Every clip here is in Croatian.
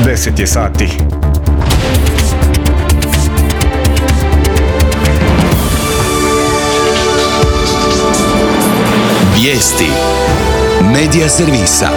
10 je sati. Vijesti Medija servisa.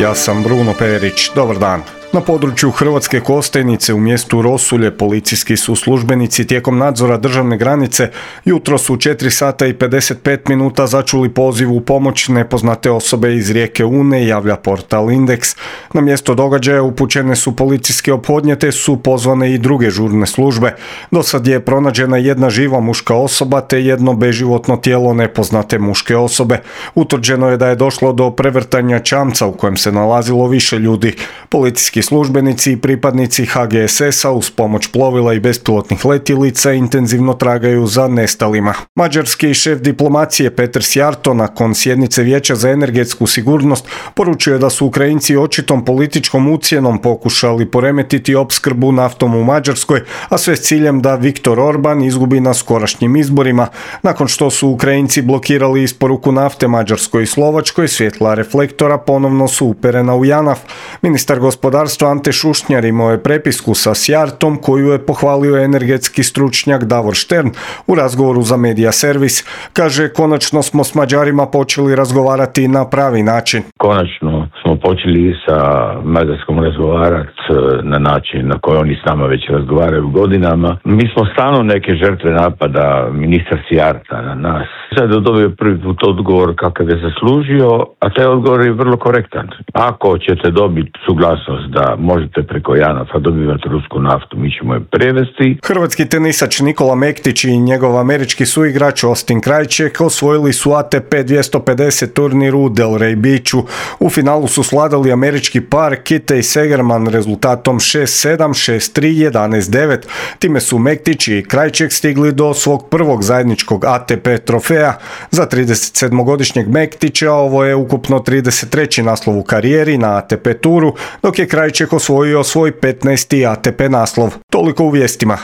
Ja sam Bruno Perić. Dobar dan. Na području Hrvatske Kostajnice u mjestu Rosulje policijski su službenici tijekom nadzora državne granice jutros u 4 sata i 55 minuta začuli poziv u pomoć nepoznate osobe iz rijeke Une, javlja portal Indeks. Na mjesto događaja upućene su policijske ophodnje te su pozvane i druge žurne službe. Do sad je pronađena jedna živa muška osoba te jedno beživotno tijelo nepoznate muške osobe. Utvrđeno je da je došlo do prevrtanja čamca u kojem se nalazilo više ljudi. Policijski službenici i pripadnici HGSS-a uz pomoć plovila i bespilotnih letjelica intenzivno tragaju za nestalima. Mađarski šef diplomacije Peter Szijjártó nakon sjednice Vijeća za energetsku sigurnost poručio je da su Ukrajinci očitom političkom ucjenom pokušali poremetiti opskrbu naftom u Mađarskoj, a sve s ciljem da Viktor Orban izgubi na skorašnjim izborima. Nakon što su Ukrajinci blokirali isporuku nafte Mađarskoj i Slovačkoj, svjetla reflektora ponovno su uperena u JANAF. Ministar gospodarstva Ante Šušnjar imao je prepisku sa Szijjártom koju je pohvalio energetski stručnjak Davor Štern u razgovoru za Medija servis. Kaže, konačno smo s Mađarima počeli razgovarati na pravi način. Konačno smo počeli sa Mađarskom razgovarati na način na koji oni s nama već razgovaraju godinama. Mi smo stalno neke žrtve napada ministra Szijjárta na nas. Sad je dobio prvi put odgovor kakav je zaslužio, a taj odgovor je vrlo korektan. Ako ćete dobiti suglasnost da možete preko JANAF-a dobivati rusku naftu, mi ćemo je prevesti. Hrvatski tenisač Nikola Mektić i njegov američki suigrač Austin Krajček osvojili su ATP 250 turnir u Delray Beachu. U finalu su svladali američki par Kittej Segerman rezultatom 6-7, 6-3, 11-9. Time su Mektić i Krajček stigli do svog prvog zajedničkog ATP trofeja. Za 37-godišnjeg Mektića ovo je ukupno 33. naslov u karijeri na ATP turu, dok je Krajček osvojio svoj 15. ATP naslov. Toliko u vijestima.